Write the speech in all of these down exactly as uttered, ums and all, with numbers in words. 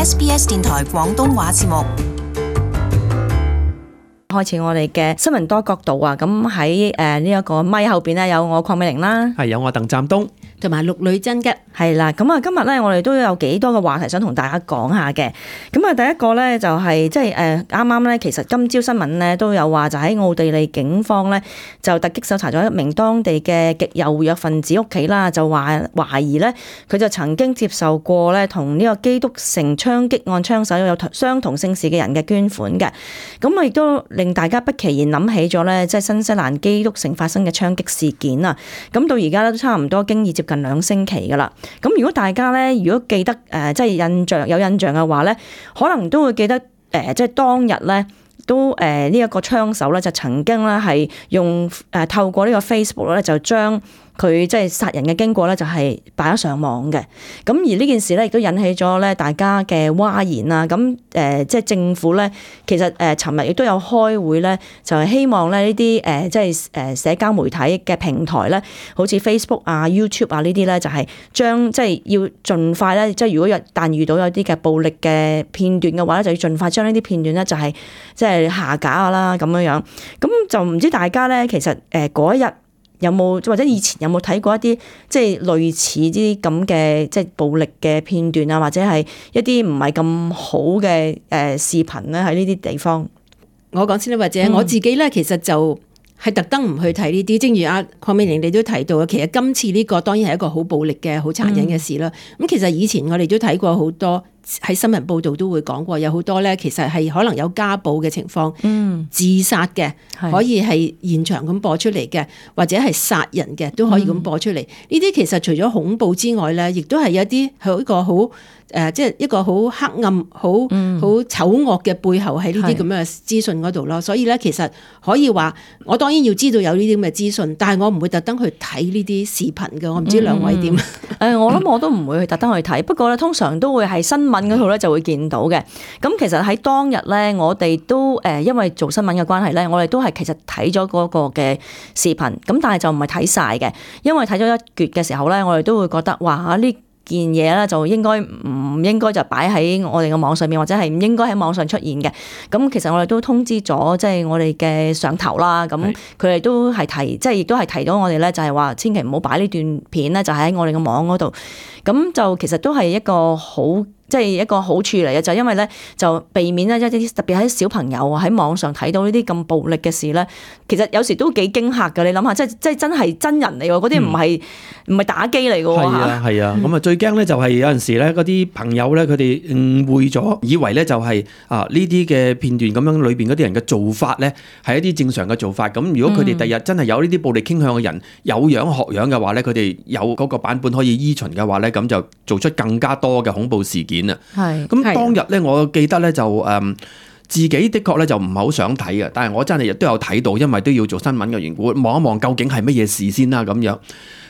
S B S 電台廣東話節目。開始我哋嘅新聞多角度啊！咁喺誒呢一個咪後邊咧，有我鄺美玲啦，係有我鄧湛東同埋陸女真嘅，係啦。咁啊，今日咧我哋都有幾多個話題想同大家講下嘅。咁啊，第一個咧就係即係誒啱啱咧，其實今朝新聞咧都有話，就喺奧地利警方咧就突擊搜查咗一名當地嘅極右活躍分子屋企啦，就話懷疑咧佢就曾經接受過咧同呢個基督城槍擊案槍手有相同姓氏嘅人嘅捐款嘅。咁啊，亦都令大家不期然諗起咗咧，即係新西蘭基督城發生嘅槍擊事件啊！咁到而家咧都差唔多經已接近兩星期噶啦。咁如果大家咧，如果記得誒，即係印象有印象嘅話咧，可能都會記得誒，即係當日咧都誒呢一個槍手咧就曾經咧係用誒透過呢個 Facebook 咧就將佢即係殺人嘅經過咧，就係擺咗上網嘅。咁而呢件事咧，亦都引起咗咧大家嘅譁然啦。咁誒，即係政府咧，其實誒，尋日亦都有開會咧，就係希望咧呢啲誒，即係誒社交媒體嘅平台咧，好似 Facebook 啊、YouTube 啊呢啲咧，就係將即係要盡快咧，即係如果有但遇到有啲嘅暴力嘅片段嘅話咧，就要盡快將呢啲片段咧，就係即係下架啦咁樣樣。咁就唔知大家咧，其實誒嗰一日有冇或者以前有冇睇過一啲即係類似啲咁嘅即係暴力嘅片段啊，或者係一啲唔係咁好嘅誒視頻咧喺呢啲地方？我講先啦，或者我自己咧，其實就係特登唔去睇呢啲。正如阿鄺美玲你都提到嘅，其實今次呢個當然係一個好暴力嘅、好殘忍嘅事啦。咁、嗯、其實以前我哋都睇過好多。喺新聞報道都會講過，有好多咧，其實係可能有家暴嘅情況，嗯、自殺嘅可以係現場咁播出嚟嘅，或者係殺人嘅都可以咁播出嚟。呢啲、嗯、其實除咗恐怖之外咧，亦都係有啲係一個好誒，即係一個好黑暗、好好、嗯、醜惡嘅背後喺呢啲咁嘅資訊嗰度咯。所以咧，其實可以話，我當然要知道有呢啲咁嘅資訊，但係我唔會特登去睇呢啲視頻嘅。我唔知兩位點？誒、嗯，我諗我都唔會去特登去睇，不過咧，通常都會係新聞嗰度咧就會見到嘅。咁其實喺當日咧，我哋都誒，因為做新聞嘅關係咧，我哋都係其實睇咗嗰個嘅視頻，咁但係就唔係睇晒嘅，因為睇咗一橛嘅時候咧，我哋都會覺得哇呢件嘢咧就應該唔應該就擺喺我哋嘅網上面，或者係唔應該喺網上出現嘅。咁其實我哋都通知咗即係我哋嘅上頭啦，咁佢哋都係提，即係亦都係提到我哋咧，就係話千祈唔好擺呢段片咧，就喺我哋嘅網嗰度。咁就其實都係一個好。即係一個好處嚟嘅，就係因為咧就避免咧一啲特別喺小朋友喺網上睇到呢啲咁暴力嘅事咧，其實有時都幾驚嚇㗎。你諗下，即係即係真係真人嚟喎，嗰啲唔係唔係打機嚟㗎喎。係啊係啊，咁啊最驚咧就係有陣時咧嗰啲朋友咧佢哋誤會咗，以為咧就係啊呢啲嘅片段咁樣裏邊嗰啲人嘅做法咧係一啲正常嘅做法。咁如果佢哋第日真係有呢啲暴力傾向嘅人有樣學樣嘅話咧，佢哋有嗰個版本可以依循嘅話咧，咁就做出更加多嘅恐怖事件。係，咁當日咧，我記得咧就誒、嗯，自己的確咧就唔係好想睇嘅，但係我真係亦都有睇到，因為都要做新聞嘅緣故，望一望究竟係乜嘢事先啦咁樣，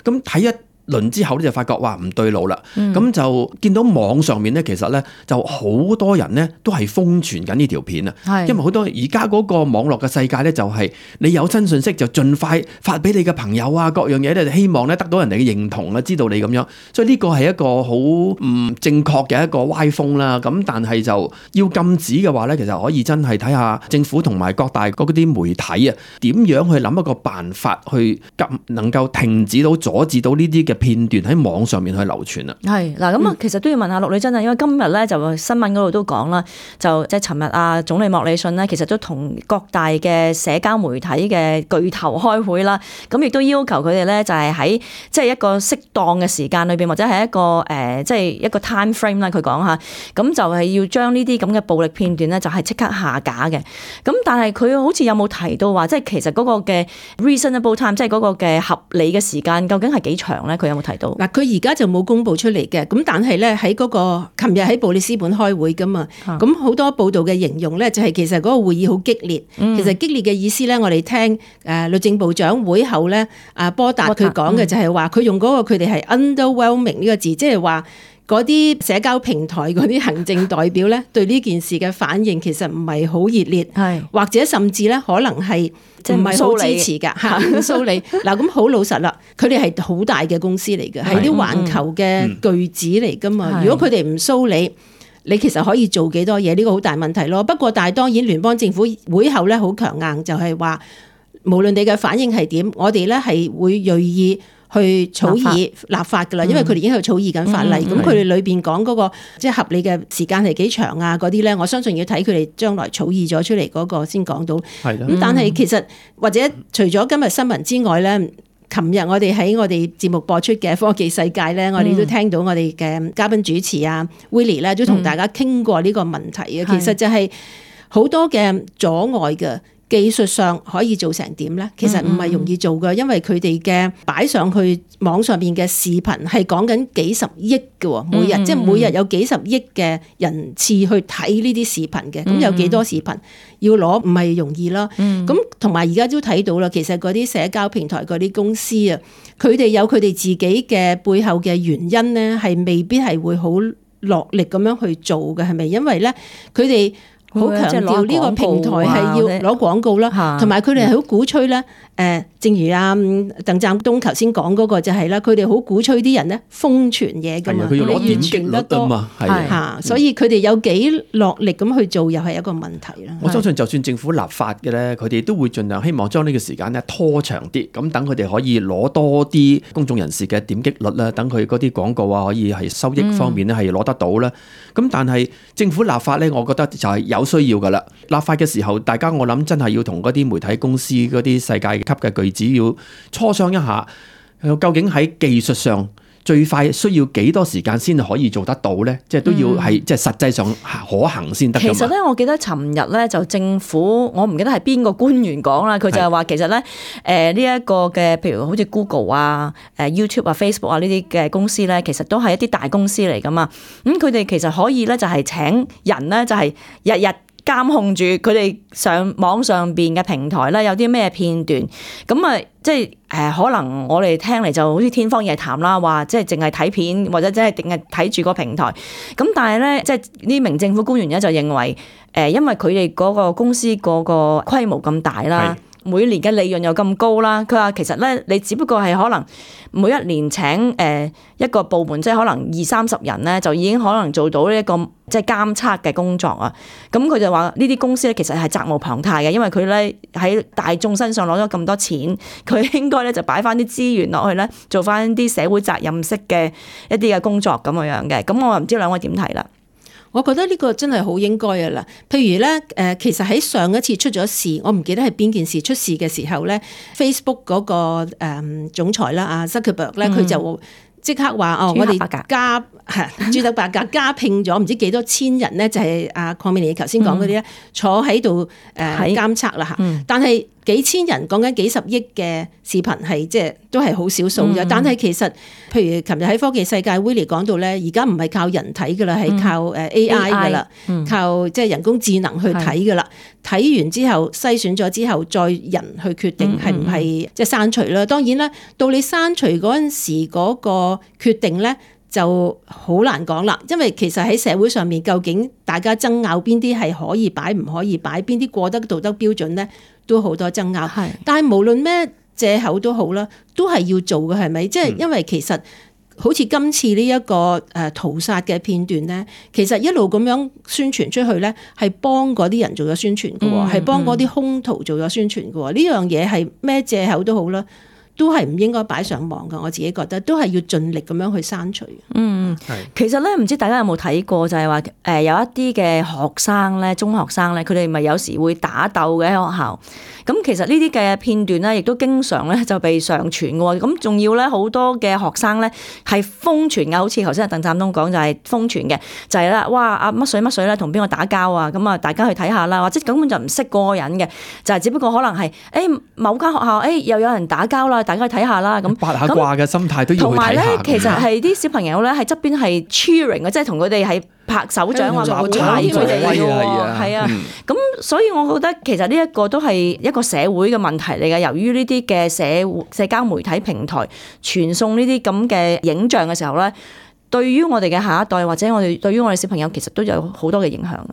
咁睇一輪之後咧就發覺哇唔對路啦，咁、嗯、就見到網上面咧其實咧就好多人咧都係瘋傳緊呢條片啊，是因為好多而家嗰個網絡嘅世界咧就係你有新信息就盡快發俾你嘅朋友啊，各樣嘢咧希望咧得到人哋嘅認同啊，知道你咁樣，所以呢個係一個好唔正確嘅一個歪風啦。咁但係就要禁止嘅話咧，其實可以真係睇下政府同埋各大嗰啲媒體啊，點樣去諗一個辦法去禁，能夠停止到阻止到呢啲嘅片段喺網上面去流傳啊。係嗱，咁啊，其實都要問下陸女真啊，因為今日咧就新聞嗰度都講啦，就即係尋日啊總理莫里遜咧，其實都同各大嘅社交媒體嘅巨頭開會啦，咁亦都要求佢哋咧就係喺即係一個適當嘅時間裏邊，或者係一個誒即係一個 time frame 啦，佢講下，咁就係要將呢啲咁嘅暴力片段咧就係即刻下架嘅。咁但係佢好似有冇提到話，即係其實嗰個嘅 reasonable time，即係嗰個嘅合理嘅時間，究竟係幾長咧？佢有冇提到？嗱，佢而家就冇公布出嚟嘅，咁但係咧喺嗰個琴日喺布里斯本開會噶嘛，咁好、啊、多報道嘅形容咧就係其實嗰個會議好激烈，嗯、其實激烈嘅意思咧，我哋聽誒律政部長會後咧，阿波達佢講嘅就係話佢用嗰個佢哋係 underwhelming 呢個字，即係話嗰啲社交平台嗰啲行政代表咧對呢件事嘅反應其實唔係好熱烈，是或者甚至咧可能係唔係好支持㗎嚇，蘇里嗱咁好老實啦，佢哋係好大嘅公司嚟嘅，係啲環球嘅巨子嚟㗎嘛。如果佢哋唔蘇里，你其實可以做幾多嘢？呢個好大問題咯。不過但係當然聯邦政府會後咧好強硬，就係話無論你嘅反應係點，我哋咧係會銳意去草擬立法噶啦，因為佢哋已經喺度草擬緊法例。咁佢哋裏邊講嗰個即係合理嘅時間係幾長啊？嗰啲咧，我相信要睇佢哋將來草擬咗出嚟嗰個先講到。係咁，但係其實或者除咗今日新聞之外咧，琴日我哋喺我哋節目播出嘅科技世界咧，我哋都聽到我哋嘅嘉賓主持啊 Willie 咧，都同大家傾過呢個問題嘅。其實就係好多嘅阻礙嘅。技術上可以做成點咧？其實唔係容易做嘅，因為佢哋嘅擺上去網上邊嘅視頻係講緊幾十億嘅，每日、嗯、即係每日有幾十億嘅人次去睇呢啲視頻嘅，咁、嗯、有幾多視頻要攞唔係容易啦。咁同埋而家都睇到啦，其實嗰啲社交平台嗰啲公司啊，佢哋有佢哋自己嘅背後嘅原因咧，係未必係會好落力咁樣去做嘅，係咪？因為咧，佢哋好強調呢個平台係要攞廣告啦，同埋佢哋係好鼓吹咧。誒，正如阿鄧湛東頭先講嗰個就係啦，佢哋好鼓吹啲人咧瘋傳嘢㗎嘛，佢要攞點擊率啊嘛，係嚇，所以佢哋有幾落力咁去做，又係一個問題啦。我相信就算政府立法嘅咧，佢哋都會盡量希望將呢個時間咧拖長啲，咁等佢哋可以攞多啲公眾人士嘅點擊率啦，等佢嗰啲廣告啊可以係收益方面咧係攞得到啦。咁、嗯、但係政府立法咧，我覺得就係有需要㗎啦。立法嘅時候，大家我諗真係要同嗰啲媒體公司嗰啲世界級嘅巨子要磋商一下，究竟喺技術上最快需要幾多時間先可以做得到咧？即係都要係即係實際上可行先得。其實咧，我記得尋日咧就政府，我唔記得係邊個官員講啦，佢就係話其實咧，誒呢一個嘅，譬如好似 Google 啊、誒 YouTube 啊、Facebook 啊呢啲嘅公司咧，其實都係一啲大公司嚟噶嘛。咁佢哋其實可以咧就係請人咧，就係日日監控住佢哋上網上邊嘅平台咧，有啲咩片段，咁啊，即係誒，可能我哋聽嚟就好似天方夜譚啦，話即係淨係睇片或者即係淨係睇住個平台，咁但係咧，即係呢名政府官員咧就認為，誒，因為佢哋嗰個公司嗰個規模咁大啦。每年嘅利潤又咁高啦，佢話其實咧，你只不過係可能每一年請誒一個部門，即係可能二三十人咧，就已經可能做到呢一個即係監測嘅工作啊。咁佢就話呢啲公司咧，其實係責無旁貸嘅，因為佢咧喺大眾身上攞咗咁多錢，佢應該咧就擺翻啲資源落去咧，做翻啲社會責任式嘅一啲嘅工作咁樣樣嘅。咁我唔知兩位點睇啦？我覺得呢個真係好應該嘅啦。譬如咧，誒，其實喺上一次出咗事，我唔記得係邊件事出事嘅時候咧 ，Facebook 嗰個誒總裁啦，阿 Zuckerberg 咧，佢就即刻話哦，我哋加係朱克伯格加聘咗唔知幾多千人咧，就係阿鄺美玲頭先講嗰啲咧，坐喺度誒監測啦嚇。但係幾千人講緊幾十億嘅視頻係即係都係好少數啫。嗯、但係其實譬如琴日喺科技世界 Willie 講到咧，而家唔係靠人睇噶啦，係靠誒 A I 噶啦，嗯、靠即係人工智能去睇噶啦。睇完之後篩選咗之後，再人去決定係唔係即係刪除啦。當然啦，到你刪除嗰陣時嗰個決定咧，就好難講啦。因為其實喺社會上面，究竟大家爭拗邊啲係可以擺唔可以擺，邊啲過得道德標準咧，都好多爭拗。係，但係無論咩藉口都好啦，都係要做嘅，係咪？即係因為其實。好似今次呢一個誒屠殺嘅片段咧，其實一路咁樣宣傳出去咧，係幫嗰啲人做咗宣傳嘅喎，係幫嗰啲兇徒做咗宣傳嘅喎。呢樣嘢係咩藉口都好啦，都係唔應該擺上網嘅。我自己覺得都係要盡力咁樣去刪除。嗯，係。其實咧，唔知大家有冇睇過，就係話誒有一啲嘅學生咧，中學生咧，佢哋咪有時會打鬥嘅喺學校。咁其實呢啲嘅片段咧，亦都經常咧就被上傳嘅喎。咁仲要咧好多嘅學生咧係瘋傳嘅，好似頭先阿鄧湛東講就係瘋傳嘅，就係啦，哇阿乜水乜水咧同邊個打交啊？咁啊大家去睇下啦，或者根本就唔識嗰個人嘅，就係只不過可能係誒某間學校誒又有人打交啦，大家去睇下啦。咁八下卦嘅心態都要去睇下。同埋咧，其實係啲小朋友咧喺側邊係 cheering 嘅，即係同佢哋係拍手掌話鼓勵佢哋嘅喎，係啊。咁所以我覺得其實呢一個都係一個社會嘅問題嚟嘅。由於呢啲嘅社社交媒體平台傳送呢啲咁嘅影像嘅時候咧，對於我哋嘅下一代或者我哋對於我哋小朋友其實都有好多嘅影響啊。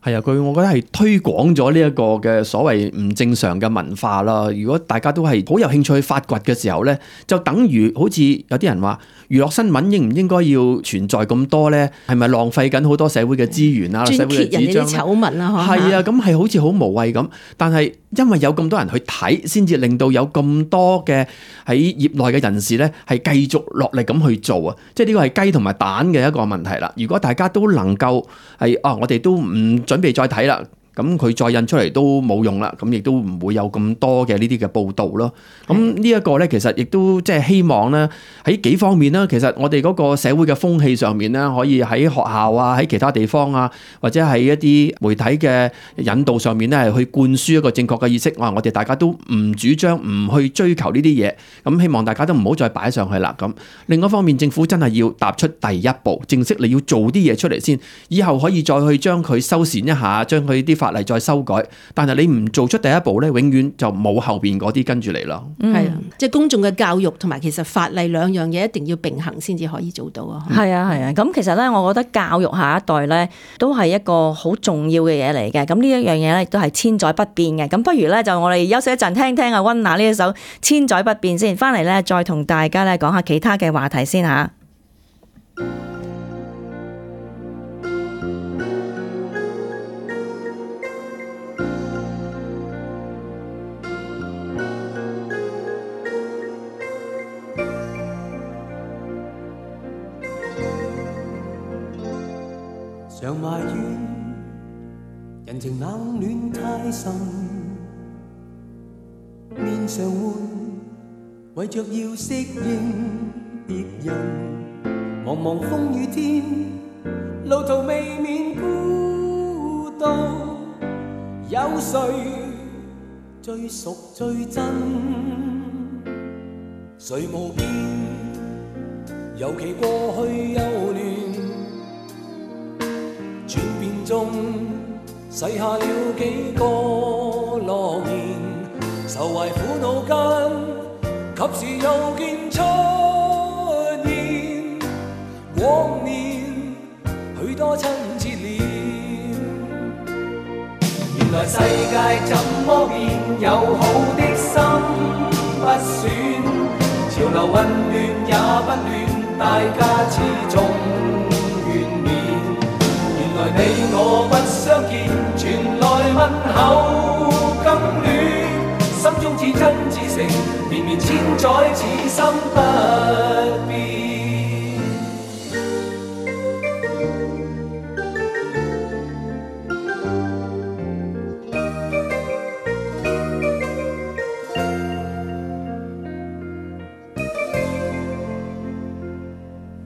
係啊，佢我覺得係推廣咗呢一個嘅所謂唔正常嘅文化啦。如果大家都係好有興趣去發掘嘅時候咧，就等於好似有啲人話娛樂新聞應唔應該要存在咁多咧？係咪浪費緊好多社會嘅資源啊？社會嘅紙張咧？醜聞啊，係啊，咁係好似好無謂咁。但係因為有咁多人去睇，先至令到有咁多嘅喺業內嘅人士咧，係繼續落力咁去做啊！即係呢個係雞同埋蛋嘅一個問題啦。如果大家都能夠係啊，我哋都唔準備再睇啦。咁佢再印出嚟都冇用啦，咁亦都唔會有咁多嘅呢啲嘅報導咯。咁呢一個咧，其實亦都即係希望咧喺幾方面啦。其實我哋嗰個社會嘅風氣上面咧，可以喺學校啊、喺其他地方啊，或者喺一啲媒體嘅引導上面咧，係去灌輸一個正確嘅意識。我話我哋大家都唔主張唔去追求呢啲嘢，咁希望大家都唔好再擺上去啦。咁另一方面，政府真係要踏出第一步，正式你要做啲嘢出嚟先，以後可以再去將佢修繕一下，將佢啲法例再修改，但係你唔做出第一步咧，永遠就冇後邊嗰啲跟住嚟咯。係啊，即係公眾嘅教育同埋其實法例兩樣嘢一定要並行先至可以做到啊。係啊係啊，咁其實咧，我覺得教育下一代咧都係一個好重要嘅嘢嚟嘅。咁呢一樣嘢咧亦都係千載不變嘅。咁不如咧就我哋休息一陣，聽聽阿溫拿呢一首《千載不變》先，翻嚟咧再同大家咧講下其他嘅話題先吓。常埋怨人情冷暖太深，面上換為着要適應別人，茫茫風雨天，路途未免孤獨，有誰最熟最真？誰無變，尤其過去幼嫩。轉變中，洗下了幾個諾言，愁懷苦惱間，及時又見出現。往年許多親切臉，原來世界怎麼變，友好的心不損，潮流混亂也不亂，大家始終你我不相見，傳來問候更暖，心中至真至誠，綿綿千載此心不變。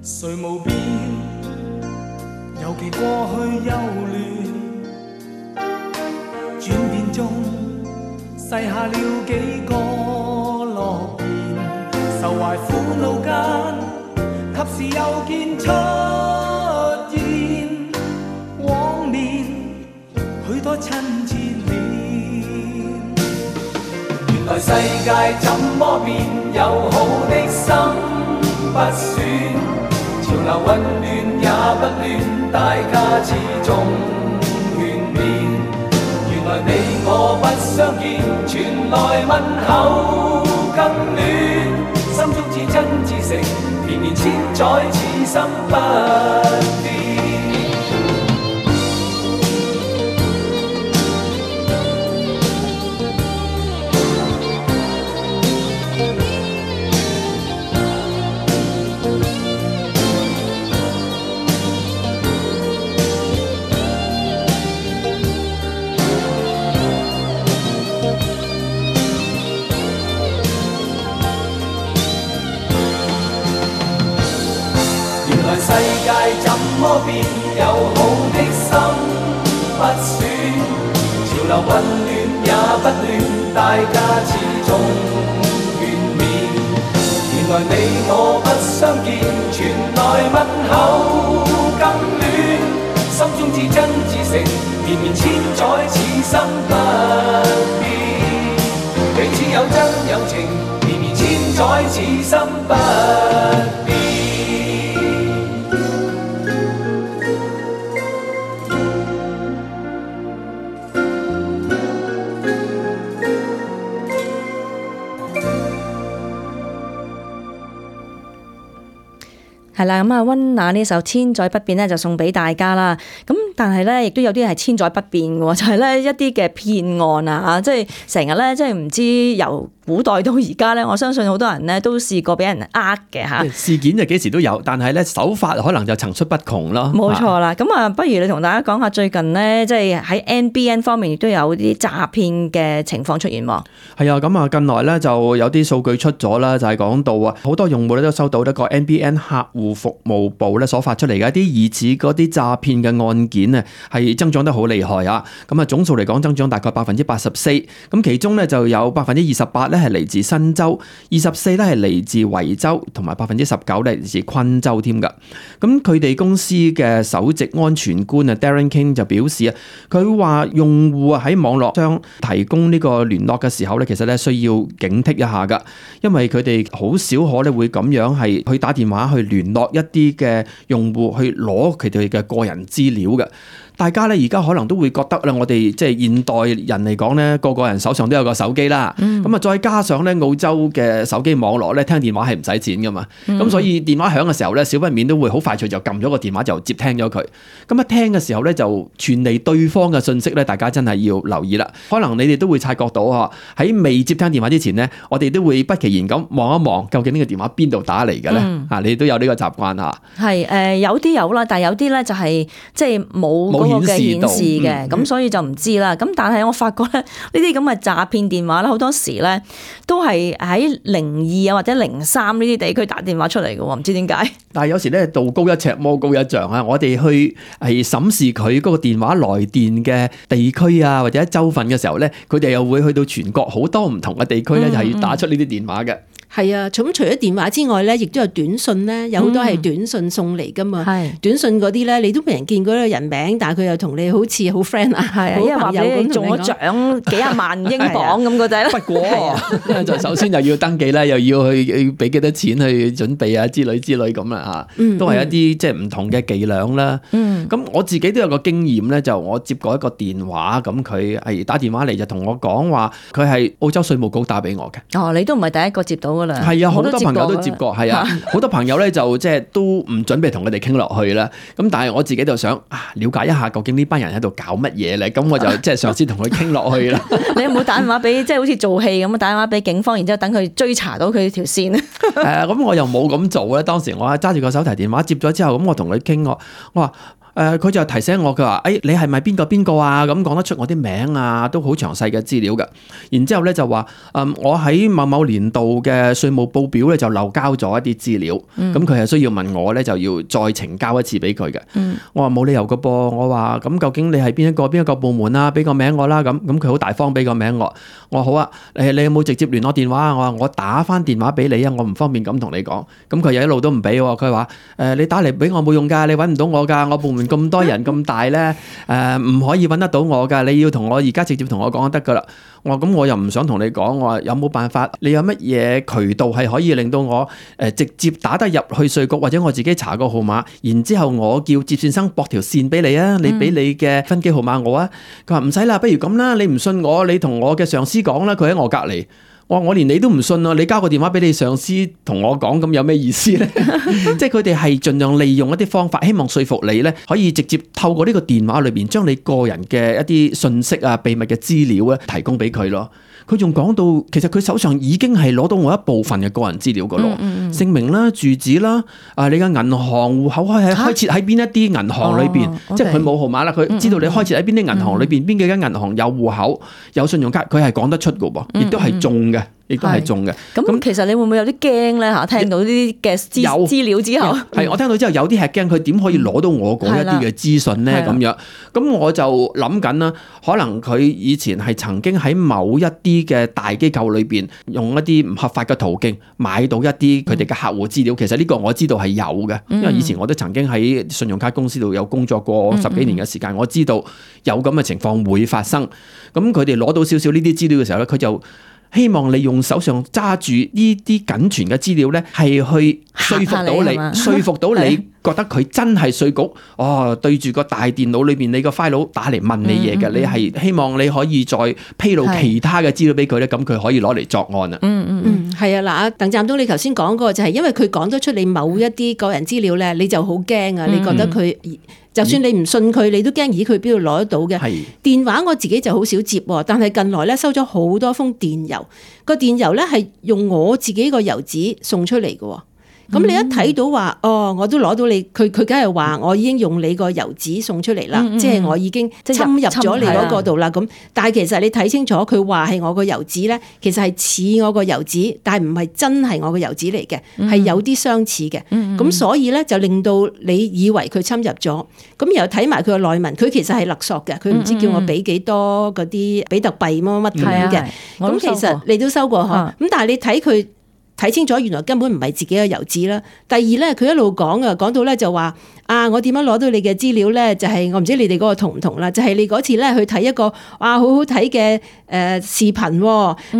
誰無變？尤其過去幼嫩，轉變中細下了幾個諾言，愁懷苦惱間，及時又見出現。往年許多親切臉，原來世界怎麼變，友好的心不損，潮流混亂也不亂，大家始終勸勉。原來你我不相見，傳來問候更暖，心中至真至誠，綿綿千載此心不變。世界怎麼變，友好的心不損，潮流混亂也不亂，大家始終勸勉。原來你我不相見，傳來問候更暖，心中至真至誠，綿綿千載此心不變。彼此有真有情，綿綿千載此心不變。係啦，咁啊溫拿呢首千載不變咧就送俾大家啦。咁但係咧亦都有啲係千載不變嘅，就係咧一啲嘅騙案啊，即係成日咧即係唔知由古代到而家咧，我相信好多人咧都試過俾人呃嘅嚇。事件就幾時都有，但係咧手法可能就層出不窮咯。冇錯啦，咁啊不如你同大家講下最近咧，即係喺 N B N 方面亦都有啲詐騙嘅情況出現喎。係啊，咁啊近來咧就有啲數據出咗啦，就係講到啊好多用戶咧都收到一個 N B N 客戶服務部咧所發出嚟嘅一啲疑似嗰啲詐騙嘅案件啊，係增長得好厲害啊！咁啊總數嚟講增長大概百分之八十四，咁其中咧就有百分之二十八咧係嚟自新州，二十四咧係嚟自維州，同埋百分之十九咧嚟自昆州添㗎。咁佢哋公司嘅首席安全官啊 Darren King 就表示啊，佢話用戶啊喺網絡上提供呢個聯絡嘅時候咧，其實咧需要警惕一下㗎，因為佢哋好少可咧會咁樣係去打電話去聯絡一啲嘅用戶去攞佢哋嘅個人資料嘅。大家咧而家可能都會覺得咧，我哋即係現代人嚟講咧，個個人手上都有個手機啦。咁啊、嗯，再加上咧澳洲嘅手機網絡咧，聽電話係唔使錢噶嘛。咁、嗯、所以電話響嘅時候咧，少不免都會好快脆就撳咗個電話就接聽咗佢。咁一聽嘅時候咧，就傳嚟對方嘅信息咧，大家真係要留意啦。可能你哋都會察覺到嗬，喺未接聽電話之前咧，我哋都會不期然咁望一望，究竟呢個電話邊度打嚟嘅咧？啊、嗯，你都有呢個習慣嚇。係誒，有啲有啦，但係有啲咧就係即係冇。嘅顯示嘅，咁、嗯、所以就唔知啦。咁但係我發覺咧，呢啲咁嘅詐騙電話咧，好多時咧都係喺零二啊或者零三呢啲地區打電話出嚟嘅喎，唔知點解。但係有時咧，道高一尺，魔高一丈啊！我哋去係審視佢嗰個電話來電嘅地區啊，或者州份嘅時候咧，佢哋又會去到全國好多唔同嘅地區咧，就係要打出呢啲電話嘅。係啊，咁除咗電話之外咧，亦都有短信咧，有好多係短信送嚟噶嘛。係、嗯、短信嗰啲咧，你都未人見過呢個人名，但係佢又同你好似好 friend 啊，係啊，因為話俾你中咗獎幾廿萬英鎊咁嗰仔咧。不過就首先又要登記啦，又要去要俾幾多錢去準備啊之類之類咁啦嚇，都係一啲即係唔同嘅伎倆啦。嗯，咁我自己都有個經驗咧，就我接過一個電話，咁佢係打電話嚟就同我講話，佢係澳洲稅務局打俾我嘅。哦，你都唔係第一個接到。係啊，好多朋友都接過，係啊，好多朋友咧就即係都唔準備同佢哋傾落去啦。咁但係我自己就想啊，了解一下究竟呢班人喺度搞乜嘢咧？咁我就即係嘗試同佢傾落去啦。你有冇打電話俾即係好似做戲咁打電話俾警方，然之後等佢追查到佢條線咧？誒、呃，咁我又冇咁做咧。當時我揸住個手提電話接咗之後，咁我同佢傾我，我話。誒佢、呃、就提醒我，佢話：誒、哎、你係咪邊個邊個啊？咁講得出我啲名啊，都好詳細嘅資料㗎。然之後咧就話：嗯，我喺某某年度嘅稅務報表咧就漏交咗一啲資料。咁佢係需要問我咧，就要再呈交一次俾佢嘅。嗯、我話冇理由㗎噃。我話咁究竟你係邊一個邊一個部門啊？俾個名我啦。咁咁佢好大方俾個名我。我話好啊。誒你有冇直接聯絡電話啊？我話我打返電話俾你啊。我唔方便咁同你講。咁佢又一路都唔俾喎。佢話：誒、呃、你打嚟俾我冇用㗎，你揾唔到我㗎，我部門咁多人咁大咧，誒、呃、唔可以揾得到我噶，你要同我而家直接同我講就得噶啦。我話咁我又唔想同你講，我話有冇辦法？你有乜嘢渠道係可以令到我誒直接打得入去稅局，或者我自己查個號碼，然之後我叫接線生駁條線俾你啊，你俾你嘅分機號碼我啊。佢話唔使啦，不如咁啦，你唔信我，你同我嘅上司講啦，佢喺我隔離。我話我連你都唔信啊！你交個電話俾你上司同我講，咁有咩意思咧？即係佢哋係盡量利用一啲方法，希望說服你咧，可以直接透過呢個電話裏邊將你個人嘅一啲信息啊、秘密嘅資料咧提供俾佢咯。佢仲講到，其實佢手上已經係攞到我一部分嘅個人資料噶咯，嗯嗯、姓名啦、住址啦、啊你嘅銀行戶口開喺開設喺邊一啲銀行裏邊，哦、即係佢冇號碼啦，佢知道你開設喺邊啲銀行裏邊，邊幾間銀行有戶口、有信用卡，佢係講得出噶噃，亦都係中嘅。亦都係中嘅。咁其實你會唔會有啲驚咧嚇？聽到呢啲嘅資資料之後，係我聽到之後有啲係驚，佢點可以攞到我嗰一啲嘅資訊咧？咁樣，咁我就諗緊啦，可能佢以前係曾經喺某一啲嘅大機構裏邊用一啲唔合法嘅途徑買到一啲佢哋嘅客戶資料。其實呢個我知道係有嘅，因為以前我都曾經喺信用卡公司度有工作過十幾年嘅時間，我知道有咁嘅情況會發生。咁佢哋攞到少少呢啲資料嘅時候咧，佢就希望你用手上揸住呢啲僅存嘅資料咧，係去說服到你，說服到你覺得佢真係稅局哦，對住個大電腦裏邊你個 file 打嚟問你嘢嘅，嗯嗯、你係希望你可以再披露其他嘅資料俾佢咧，咁佢可以攞嚟作案啊。嗯嗯嗯，係啊，嗱，鄧湛東你頭先講過就係因為佢講得出你某一啲個人資料咧，你就好驚啊！嗯、你覺得佢就算你唔信佢，你都驚咦佢邊度攞得到嘅？係電話我自己就好少接，但係近來咧收咗好多封電郵，個電郵咧係用我自己個郵址送出嚟嘅。咁你一睇到話，哦，我都攞到你，佢佢梗係話我已經用你個郵址送出嚟啦，嗯嗯、即係我已經侵入咗你嗰個度啦。咁，但係其實你睇清楚，佢話係我個郵址咧，其實係似我個郵址，但係唔係真係我個郵址嚟嘅，係、嗯、有啲相似嘅。咁、嗯嗯、所以咧就令到你以為佢侵入咗，咁然後睇埋佢個內文，佢其實係勒索嘅，佢唔知叫我俾幾多嗰啲比特幣乜乜咁樣嘅。咁其實你都收過嗬，咁、嗯、但係你睇佢。睇清楚，原來根本唔係自己嘅郵址啦。第二咧，佢一路講啊，講到咧就話啊，我點樣攞到你嘅資料咧？就係、是、我唔知你哋嗰個同唔同啦。就係、是、你嗰次咧去睇一個哇好好睇嘅誒視頻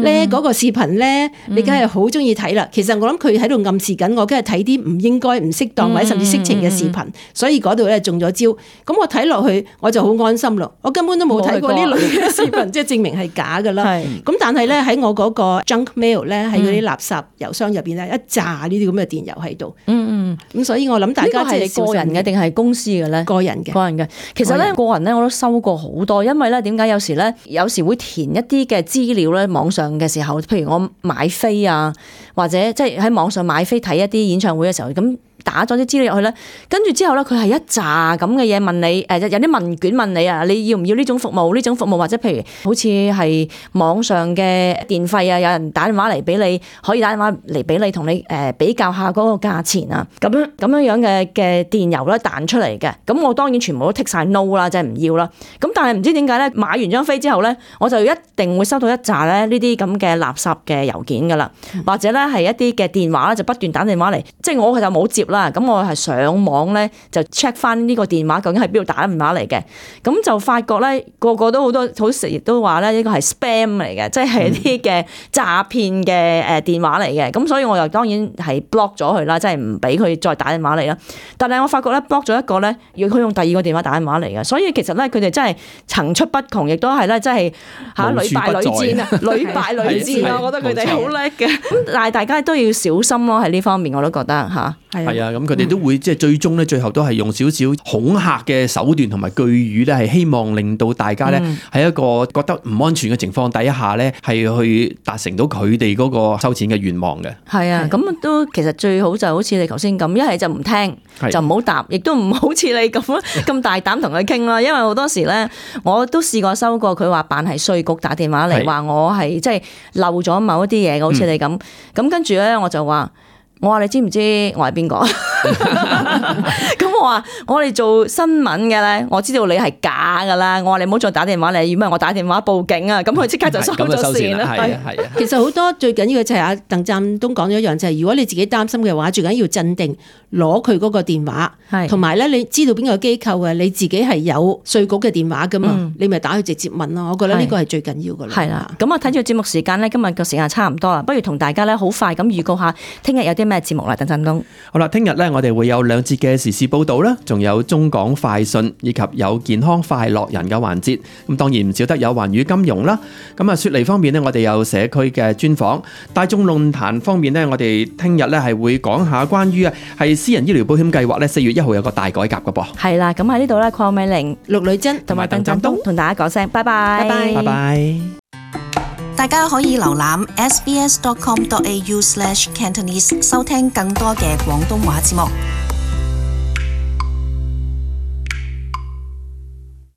咧，嗰、嗯、個視頻咧，你梗係好中意睇啦。其實我諗佢喺度暗示緊我，梗係睇啲唔應該、唔適當或者甚至色情嘅視頻，所以嗰度咧中咗招。咁我睇落去我就好安心咯。我根本都冇睇過呢類嘅視頻，即係證明係假㗎啦。咁但係咧喺我嗰個 junk mail 咧，喺嗰啲垃圾郵箱入邊咧，一紮呢啲咁嘅電郵喺度。嗯嗯。咁所以我諗大家即係個人嘅定係公司嘅咧？個人嘅。個人嘅。其實咧，個人咧我都收過好多，因為咧點解有時咧，有時會填一啲嘅資料咧，網上嘅時候，譬如我買飛啊，或者即係喺網上買飛睇一啲演唱會嘅時候，咁。打咗啲資料入去咧，跟住之後咧，佢係一紮咁嘅嘢問你，誒有啲問卷問你啊，你要唔要呢種服務？呢種服務或者譬如好似係網上嘅電費啊，有人打電話嚟俾你，可以打電話嚟俾你，同你誒比較下嗰個價錢啊，咁樣咁樣樣嘅嘅電郵咧彈出嚟嘅，咁我當然全部都剔晒 no 啦，即係唔要啦。咁但係唔知點解咧，買完張飛之後咧，我就一定會收到一紮咧呢啲咁嘅垃圾嘅郵件噶啦，或者咧係一啲嘅電話咧就不斷打電話嚟，即係我就冇接。啦，咁我係上網咧就 check 翻呢個電話究竟係邊度打電話嚟嘅，咁就發覺咧個個都好多好成日都話咧呢個係 spam 嚟嘅，即係一啲嘅詐騙嘅誒電話嚟嘅，咁所以我又當然係 block 咗佢啦，即係唔俾佢再打電話嚟啦。但係我發覺咧 block 咗一個咧，要佢用第二個電話打電話嚟嘅，所以其實咧佢哋真係層出不窮，亦都係咧真係嚇屢敗屢戰啊，屢敗屢戰啊，我覺得佢哋好叻嘅。咁但係大家都要小心咯，喺呢方面我都覺得嚇。係啊，咁佢哋都會即係最終咧，最後都係用少少恐嚇嘅手段同埋句語咧，係希望令到大家咧喺一個覺得唔安全嘅情況底下咧，係去達成到佢哋嗰個收錢嘅願望嘅。係啊，咁都其實最好就好似你頭先咁，一係就唔聽，就唔好答，亦都唔好似你咁咁大膽同佢傾啦。因為好多時咧，我都試過收過佢話扮係稅局打電話嚟，話我係即係漏咗某一啲嘢，好似你咁。咁、嗯、跟住咧，我就話。我話你知唔知我係邊個？咁我話我哋做新聞嘅咧，我知道你係假噶啦。我話你唔好再打電話嚟，如果唔係我打電話報警啊！咁佢即刻就收咗線啦。係啊係啊。其實好多最緊要嘅就係阿鄧湛東講咗一樣，就係、是、如果你自己擔心嘅話，最緊要鎮定，攞佢嗰個電話，同埋咧你知道邊個機構嘅，你自己係有稅局嘅電話噶嘛，嗯、你咪打去直接問咯。我覺得呢個係最緊要噶啦。係啦。咁我睇住節目時間咧，今日個時間差唔多啦，不如同大家咧好快咁預告下，聽日有啲咩節目啦，鄧湛東。好啦，聽日咧我哋會有兩節嘅時事報道啦，仲有中港快訊，以及有健康快樂人嘅環節。咁當然唔少得有環宇金融啦。咁啊，雪梨方面呢，我哋有社區嘅專訪。大眾論壇方面呢，我哋聽日咧係會講下關於啊係私人醫療保險計劃咧，四月一號有個大改革噶噃。係啦，咁喺呢度咧，鄺美玲、陸女珍同埋鄧湛東同大家講聲拜拜，拜拜，拜拜。大家可以瀏覽 s b s dot com dot a u slash cantonese 收聽更多嘅廣東話節目。